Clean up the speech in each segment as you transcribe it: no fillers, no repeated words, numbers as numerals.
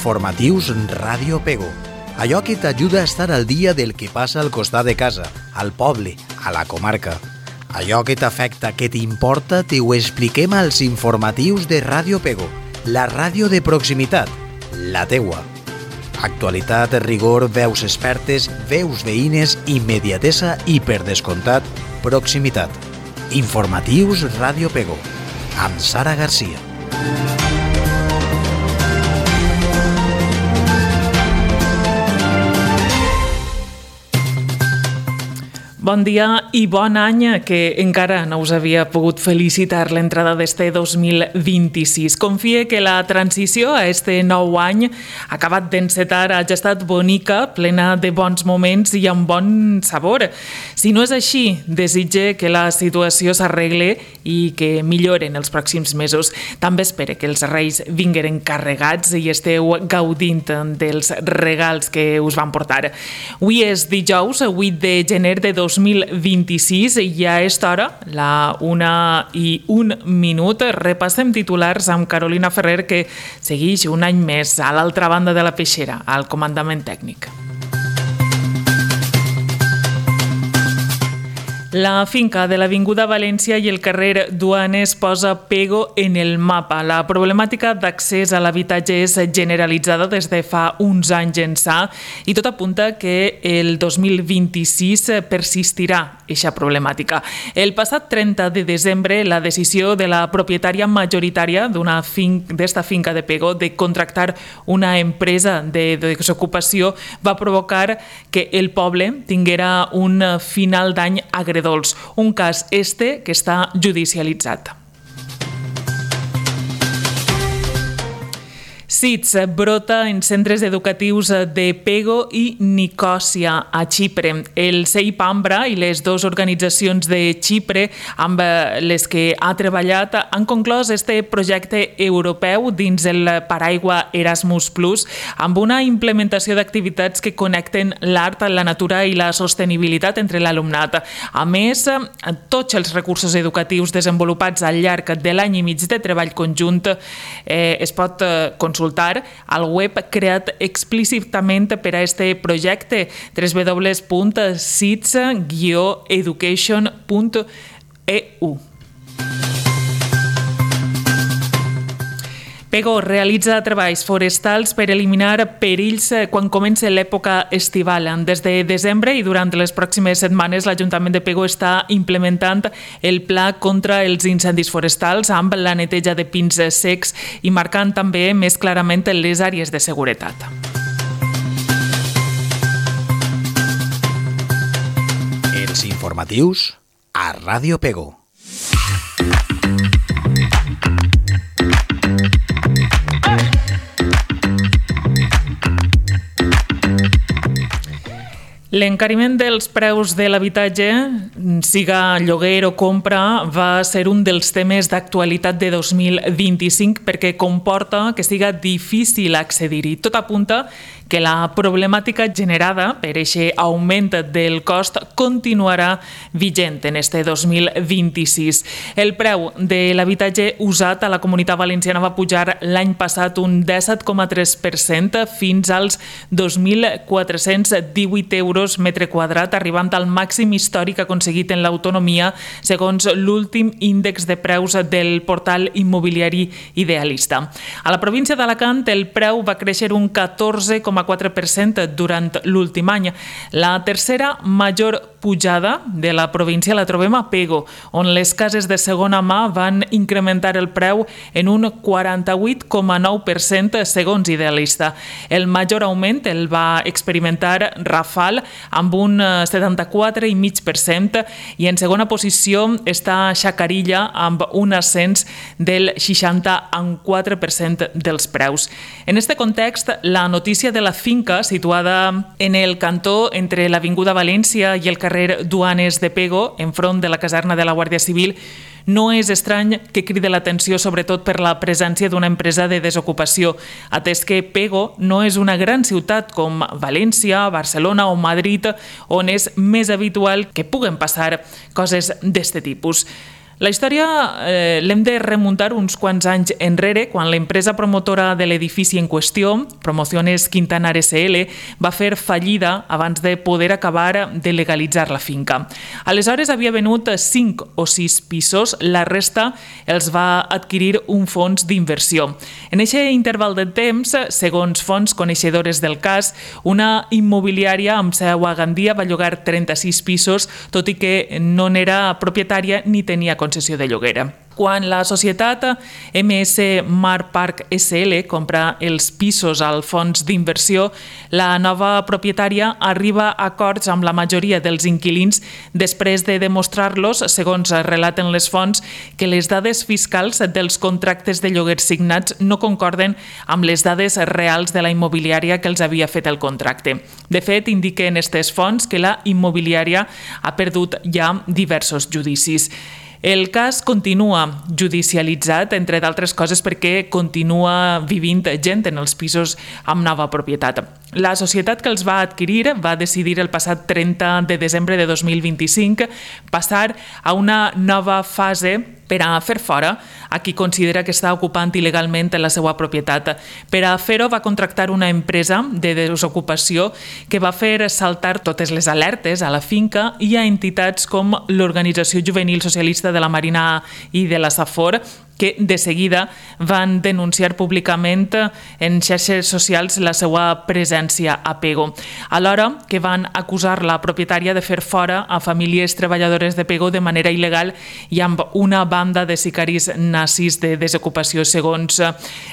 informatius Ràdio Pego. Allò que t'ajuda a estar al dia del que passa al costat de casa, al poble, a la comarca. Allò que t'afecta, que t'importa, t'ho expliquem als informatius de Ràdio Pego, la ràdio de proximitat, la teua. Actualitat, rigor, veus expertes, veus veïnes, immediatesa i, per descomptat, proximitat. Informatius Ràdio Pego, amb Sara Garcia. Bon dia i bon any, que encara no us havia pogut felicitar l'entrada d'este 2026. Confie que la transició a este nou any acabat d'encetar hagi estat bonica, plena de bons moments i amb bon sabor. Si no és així, desitge que la situació s'arregle i que milloren els pròxims mesos. També espere que els reis vingueren carregats i esteu gaudint dels regals que us van portar. Avui és dijous, 8 de gener de 2026, i a esta hora, la 1:01, repassem titulars amb Carolina Ferrer, que segueix un any més a l'altra banda de la peixera, al comandament tècnic. La finca de l'Avinguda València i el carrer Duanes posa Pego en el mapa. La problemàtica d'accés a l'habitatge és generalitzada des de fa uns anys ençà i tot apunta que el 2026 persistirà eixa problemàtica. El passat 30 de desembre, la decisió de la propietària majoritària d'esta finca de Pego de contractar una empresa de desocupació va provocar que el poble tinguera un final d'any agredolç. Un cas que està judicialitzat. SIDS brota en centres educatius de Pego i Nicòsia, a Xipre. El CEIP Ambra i les dues organitzacions de Xipre amb les que ha treballat han conclòs este projecte europeu dins el paraigua Erasmus+, amb una implementació d'activitats que connecten l'art, la natura i la sostenibilitat entre l'alumnat. A més, tots els recursos educatius desenvolupats al llarg de l'any i mig de treball conjunt es pot consultar al web creat explícitament per a este projecte, www.sids-education.eu. Pego realitza treballs forestals per eliminar perills quan comença l'època estival. Des de desembre i durant les pròximes setmanes, l'Ajuntament de Pego està implementant el pla contra els incendis forestals amb la neteja de pins secs i marcant també més clarament les àrees de seguretat. Els informatius a Ràdio Pego. L'encariment dels preus de l'habitatge, siga lloguer o compra, va ser un dels temes d'actualitat de 2025 perquè comporta que siga difícil accedir-hi. Tot apunta que la problemàtica generada per aquest augment del cost continuarà vigent en este 2026. El preu de l'habitatge usat a la Comunitat Valenciana va pujar l'any passat un 17,3% fins als 2.418 euros metre quadrat, arribant al màxim històric aconseguit en l'autonomia segons l'últim índex de preus del portal immobiliari Idealista. A la província d'Alacant el preu va créixer un 14,4% durant l'últim any. La tercera major pujada de la província la trobem a Pego, on les cases de segona mà van incrementar el preu en un 48,9% segons Idealista. El major augment el va experimentar Rafal amb un 74,5% i en segona posició està Xacarilla amb un ascens del 60,4% dels preus. En este context, la notícia de la finca situada en el cantó entre l'Avinguda València i el carrer Duanes de Pego, enfront de la caserna de la Guàrdia Civil, no és estrany que cride l'atenció sobretot per la presència d'una empresa de desocupació, atès que Pego no és una gran ciutat com València, Barcelona o Madrid, on és més habitual que puguen passar coses d'este tipus. La història l'hem de remuntar uns quants anys enrere, quan l'empresa promotora de l'edifici en qüestió, Promociones Quintanar SL, va fer fallida abans de poder acabar de legalitzar la finca. Aleshores havia venut 5 o 6 pisos, la resta els va adquirir un fons d'inversió. En aquest interval de temps, segons fonts coneixedores del cas, una immobiliària amb seu a Gandia va llogar 36 pisos, tot i que no n'era propietària ni tenia concessió de lloguer. Quan la societat MS Mar Park SL compra els pisos al fons d'inversió, la nova propietària arriba a acords amb la majoria dels inquilins després de demostrar-los, segons relaten les fonts, que les dades fiscals dels contractes de lloguer signats no concorden amb les dades reals de la immobiliària que els havia fet el contracte. De fet, indiquen aquestes fonts que la immobiliària ha perdut ja diversos judicis. El cas continua judicialitzat, entre d'altres coses perquè continua vivint gent en els pisos amb nova propietat. La societat que els va adquirir va decidir el passat 30 de desembre de 2025 passar a una nova fase per a fer fora a qui considera que està ocupant il·legalment la seva propietat. Per a fer-ho va contractar una empresa de desocupació que va fer saltar totes les alertes a la finca i a entitats com l'Organització Juvenil Socialista de la Marina i de la Safor, que de seguida van denunciar públicament en xarxes socials la seva presència a Pego, alhora que van acusar la propietària de fer fora a famílies treballadores de Pego de manera il·legal i amb una banda de sicaris nazis de desocupació, segons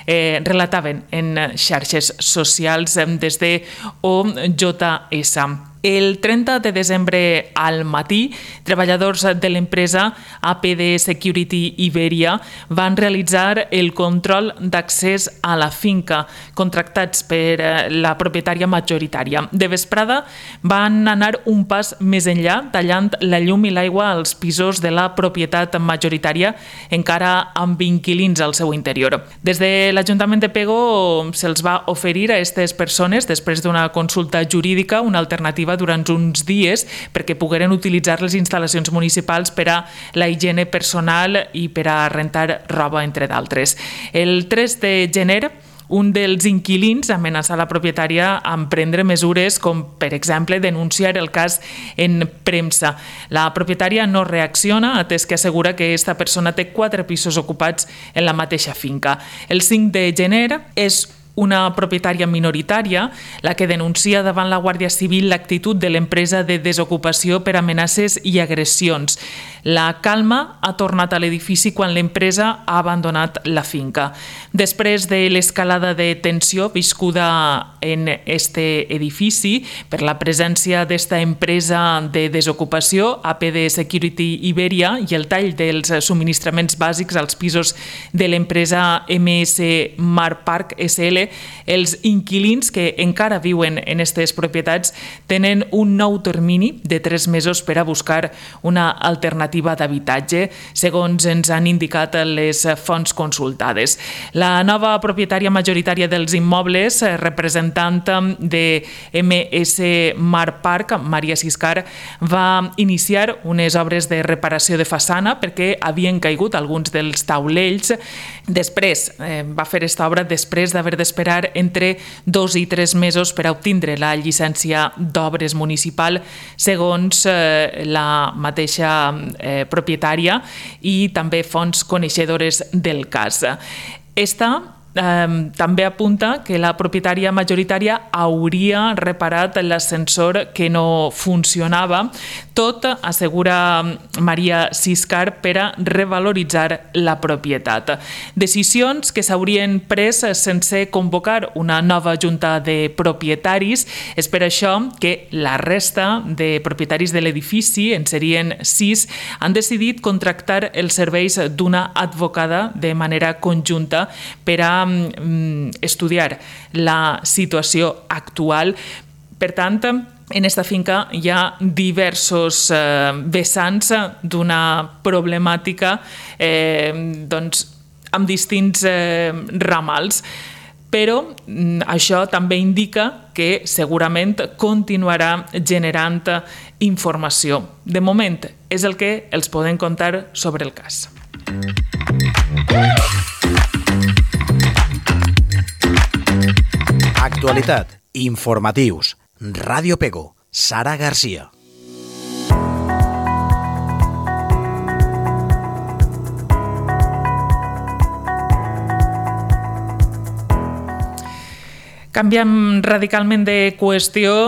relataven en xarxes socials des de OJS. El 30 de desembre al matí, treballadors de l'empresa APD Security Iberia van realitzar el control d'accés a la finca, contractats per la propietària majoritària. De vesprada van anar un pas més enllà, tallant la llum i l'aigua als pisos de la propietat majoritària, encara amb inquilins al seu interior. Des de l'Ajuntament de Pego se'ls va oferir a aquestes persones, després d'una consulta jurídica, una alternativa durant uns dies perquè pogueren utilitzar les instal·lacions municipals per a la higiene personal i per a rentar roba, entre d'altres. El 3 de gener, un dels inquilins amenaça la propietària amb prendre mesures com, per exemple, denunciar el cas en premsa. La propietària no reacciona, atès que assegura que aquesta persona té 4 pisos ocupats en la mateixa finca. El 5 de gener és una propietària minoritària la que denuncia davant la Guàrdia Civil l'actitud de l'empresa de desocupació per amenaces i agressions. La calma ha tornat a l'edifici quan l'empresa ha abandonat la finca. Després de l'escalada de tensió viscuda en este edifici per la presència d'esta empresa de desocupació, APD Security Iberia, i el tall dels subministraments bàsics als pisos de l'empresa MS Mar Park SL, els inquilins que encara viuen en aquestes propietats tenen un nou termini de 3 mesos per a buscar una alternativa d'habitatge, segons ens han indicat les fonts consultades. La nova propietària majoritària dels immobles, representant de MS Mar Park, Maria Siscar, va iniciar unes obres de reparació de façana perquè havien caigut alguns dels taulells. Després va fer aquesta obra després d'haver d'esperar entre 2 i 3 mesos per a obtindre la llicència d'obres municipal, segons la mateixa propietària i també fonts coneixedores del cas. Esta també apunta que la propietària majoritària hauria reparat l'ascensor que no funcionava, tot, assegura Maria Siscar, per a revaloritzar la propietat. Decisions que s'haurien pres sense convocar una nova junta de propietaris. És per això que la resta de propietaris de l'edifici, en serien 6, han decidit contractar els serveis d'una advocada de manera conjunta per a estudiar la situació actual. Per tant, en esta finca hi ha diversos vessants d'una problemàtica amb distints ramals. però això també indica que segurament continuarà generant informació. De moment és el que els podem contar sobre el cas. Actualitat, informatius, Ràdio Pego, Sara Garcia. Canviem radicalment de qüestió,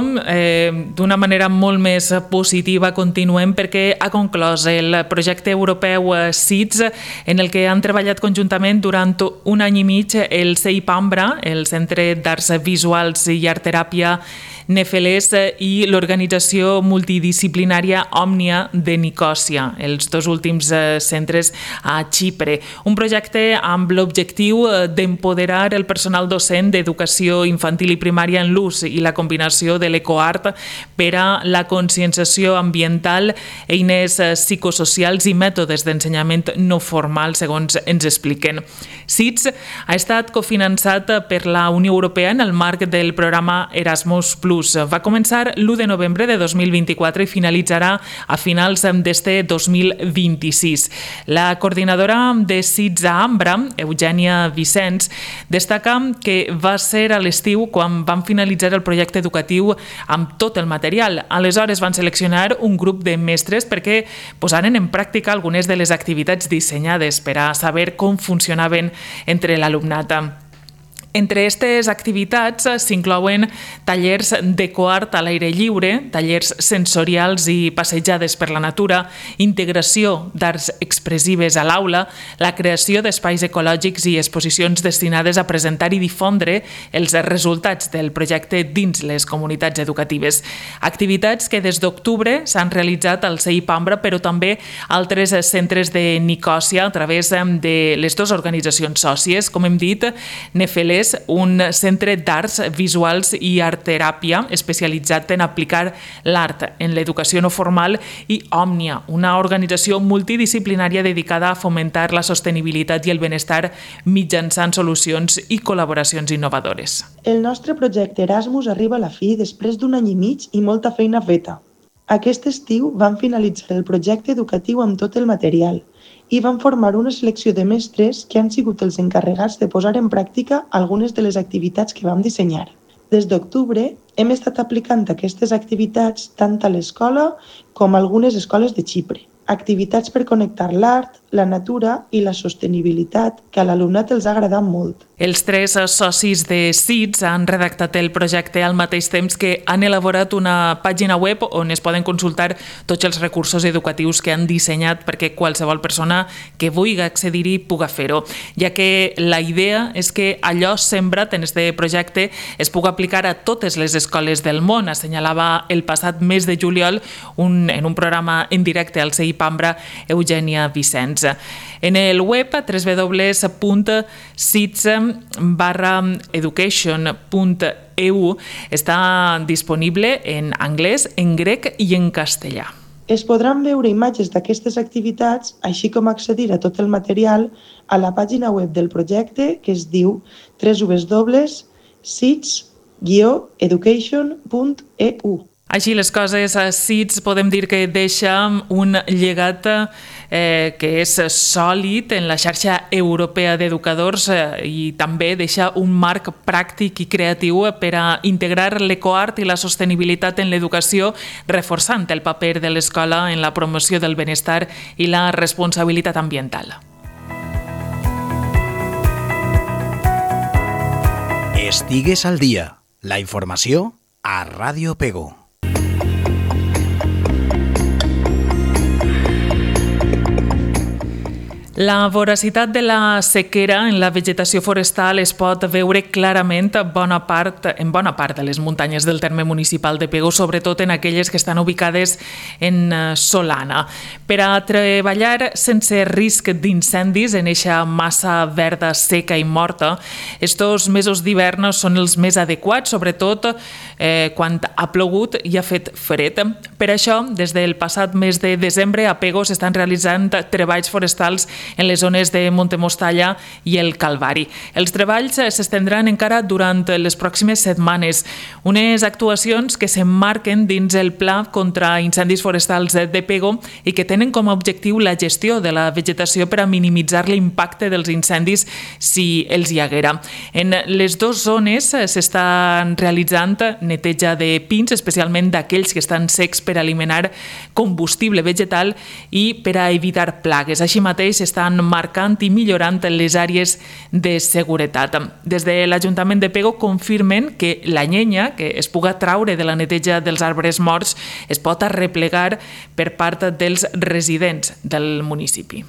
d'una manera molt més positiva continuem perquè ha conclòs el projecte europeu SIDS, en el que han treballat conjuntament durant un any i mig el CEIP Ambra, el Centre d'Arts Visuals i Art Teràpia Nefelés, i l'organització multidisciplinària Òmnia de Nicòsia, els dos últims centres a Xipre. Un projecte amb l'objectiu d'empoderar el personal docent d'educació infantil i primària en l'ús i la combinació de l'ecoart per a la conscienciació ambiental, eines psicosocials i mètodes d'ensenyament no formal, segons ens expliquen. SIDS ha estat cofinançat per la Unió Europea en el marc del programa Erasmus+. Va començar l'1 de novembre de 2024 i finalitzarà a finals d'este 2026. La coordinadora de SIDS a Ambra, Eugènia Vicens, destaca que va ser a l'estiu quan van finalitzar el projecte educatiu amb tot el material. Aleshores van seleccionar un grup de mestres perquè posaren en pràctica algunes de les activitats dissenyades per a saber com funcionaven entre l'alumnat. Entre aquestes activitats s'inclouen tallers d'ecoart a l'aire lliure, tallers sensorials i passejades per la natura, integració d'arts expressives a l'aula, la creació d'espais ecològics i exposicions destinades a presentar i difondre els resultats del projecte dins les comunitats educatives. Activitats que des d'octubre s'han realitzat al CEIP Ambra, però també altres centres de Nicòsia a través de les dues organitzacions sòcies, com hem dit, Nefelés, un centre d'arts visuals i art teràpia especialitzat en aplicar l'art en l'educació no formal, i Òmnia, una organització multidisciplinària dedicada a fomentar la sostenibilitat i el benestar mitjançant solucions i col·laboracions innovadores. El nostre projecte Erasmus arriba a la fi després d'un any i mig i molta feina feta. Aquest estiu vam finalitzar el projecte educatiu amb tot el material i van formar una selecció de mestres que han sigut els encarregats de posar en pràctica algunes de les activitats que vam dissenyar. Des d'octubre hem estat aplicant aquestes activitats tant a l'escola com a algunes escoles de Xipre. Activitats per connectar l'art, la natura i la sostenibilitat que a l'alumnat els ha agradat molt. Els tres socis de SIDS han redactat el projecte al mateix temps que han elaborat una pàgina web on es poden consultar tots els recursos educatius que han dissenyat perquè qualsevol persona que vulgui accedir-hi pugui fer-ho, ja que la idea és que allò sembrat en aquest projecte es pugui aplicar a totes les escoles del món, assenyalava el passat mes de juliol en un programa en directe al CEIP Ambra Eugènia Vicens. En el web www.sids.education.eu està disponible en anglès, en grec i en castellà. Es podran veure imatges d'aquestes activitats, així com accedir a tot el material a la pàgina web del projecte, que es diu www.sids.education.eu. Així les coses, a SIDS podem dir que deixa un llegat que és sòlid en la xarxa europea d'educadors i també deixa un marc pràctic i creatiu per a integrar l'ecoart i la sostenibilitat en l'educació, reforçant el paper de l'escola en la promoció del benestar i la responsabilitat ambiental. Estigues al dia. La informació a Ràdio Pego. La voracitat de la sequera en la vegetació forestal es pot veure clarament en bona part de les muntanyes del terme municipal de Pego, sobretot en aquelles que estan ubicades en Solana. Per a treballar sense risc d'incendis en eixa massa verda seca i morta, estos mesos d'hivern són els més adequats, sobretot quan ha plogut i ha fet fred. Per això, des del passat mes de desembre, a Pego s'estan realitzant treballs forestals en les zones de Montemostalla i el Calvari. Els treballs s'estendran encara durant les pròximes setmanes. Unes actuacions que s'emmarquen dins el Pla contra incendis forestals de Pego i que tenen com a objectiu la gestió de la vegetació per a minimitzar l'impacte dels incendis si els hi haguera. En les dues zones s'estan realitzant neteja de pins, especialment d'aquells que estan secs per eliminar combustible vegetal i per a evitar plagues. Així mateix s'estan marcant i millorant les àrees de seguretat. Des de l'Ajuntament de Pego confirmen que la llenya que es puga traure de la neteja dels arbres morts es pot arreplegar per part dels residents del municipi.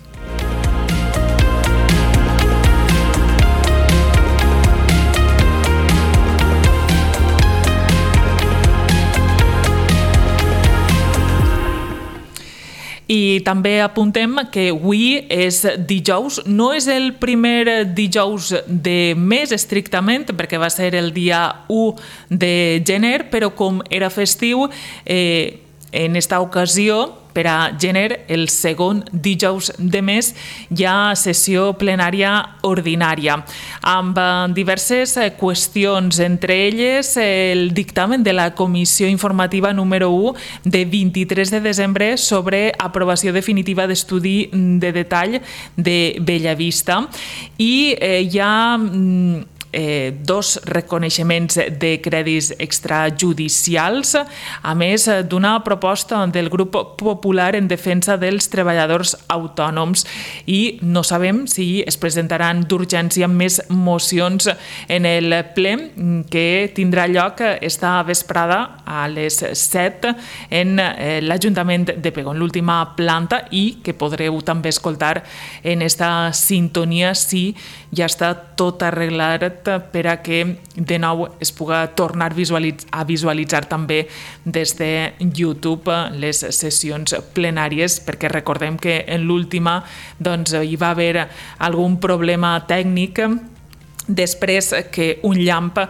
I també apuntem que avui és dijous, no és el primer dijous de mes estrictament, perquè va ser el dia 1 de gener, però com era festiu, en esta ocasió, per a gener, el segon dijous de mes, hi ha sessió plenària ordinària, amb diverses qüestions, entre elles el dictamen de la Comissió Informativa número 1 de 23 de desembre sobre aprovació definitiva d'estudi de detall de Bellavista i hi ha dos reconeixements de crèdits extrajudicials, a més d'una proposta del grup popular en defensa dels treballadors autònoms, i no sabem si es presentaran d'urgència més mocions en el ple que tindrà lloc esta vesprada a les 7 en l'Ajuntament de Pego, en l'última planta, i que podreu també escoltar en esta sintonia si ja està tot arreglat per a que de nou es puga tornar a visualitzar també des de YouTube les sessions plenàries, perquè recordem que en l'última hi va haver algun problema tècnic després que un llamp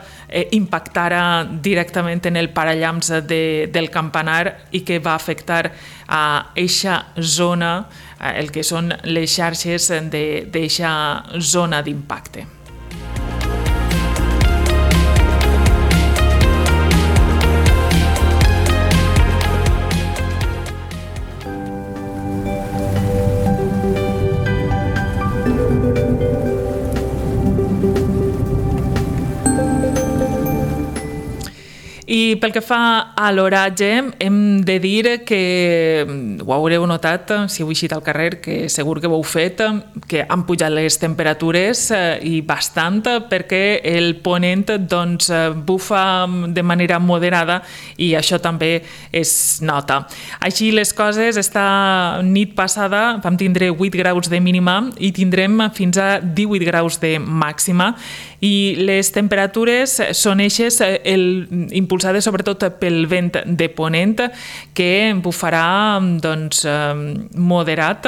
impactara directament en el parallamps del campanar i que va afectar a eixa zona, el que són les xarxes d'eixa zona d'impacte. I pel que fa a l'oratge, hem de dir que ho haureu notat, si heu eixit al carrer, que segur que ho heu fet, que han pujat les temperatures i bastant, perquè el ponent bufa de manera moderada i això també es nota. Així les coses, esta nit passada vam tindre 8 graus de mínima i tindrem fins a 18 graus de màxima, i les temperatures són eixes impulsades sobretot pel vent de ponent, que bufarà moderat.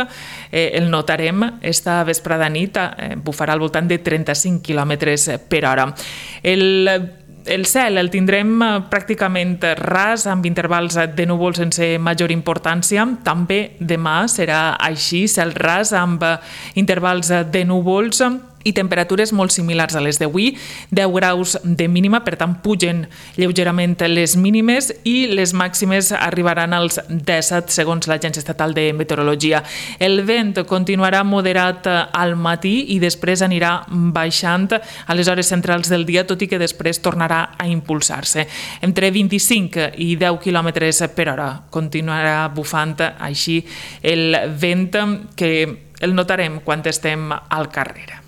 El notarem esta vesprada nit, bufarà al voltant de 35 km per hora. El cel el tindrem pràcticament ras, amb intervals de núvols sense major importància. També demà serà així, cel ras amb intervals de núvols i temperatures molt similars a les d'avui, 10 graus de mínima, per tant pugen lleugerament les mínimes i les màximes arribaran als 17 segons l'Agència Estatal de Meteorologia. El vent continuarà moderat al matí i després anirà baixant a les hores centrals del dia, tot i que després tornarà a impulsar-se. Entre 25 i 10 km per hora continuarà bufant així el vent, que el notarem quan estem al carrer.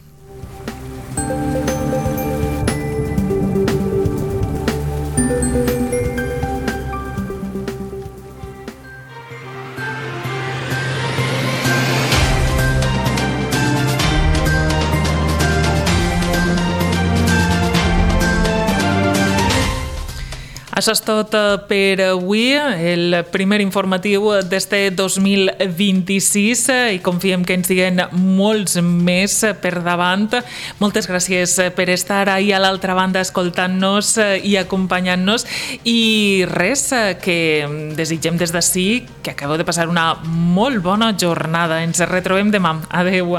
Això és tot per avui, el primer informatiu d'este 2026 i confiem que en siguen molts més per davant. Moltes gràcies per estar ahí a l'altra banda escoltant-nos i acompanyant-nos i res, que desitgem des d'ací que acabeu de passar una molt bona jornada. Ens retrobem demà. Adeu.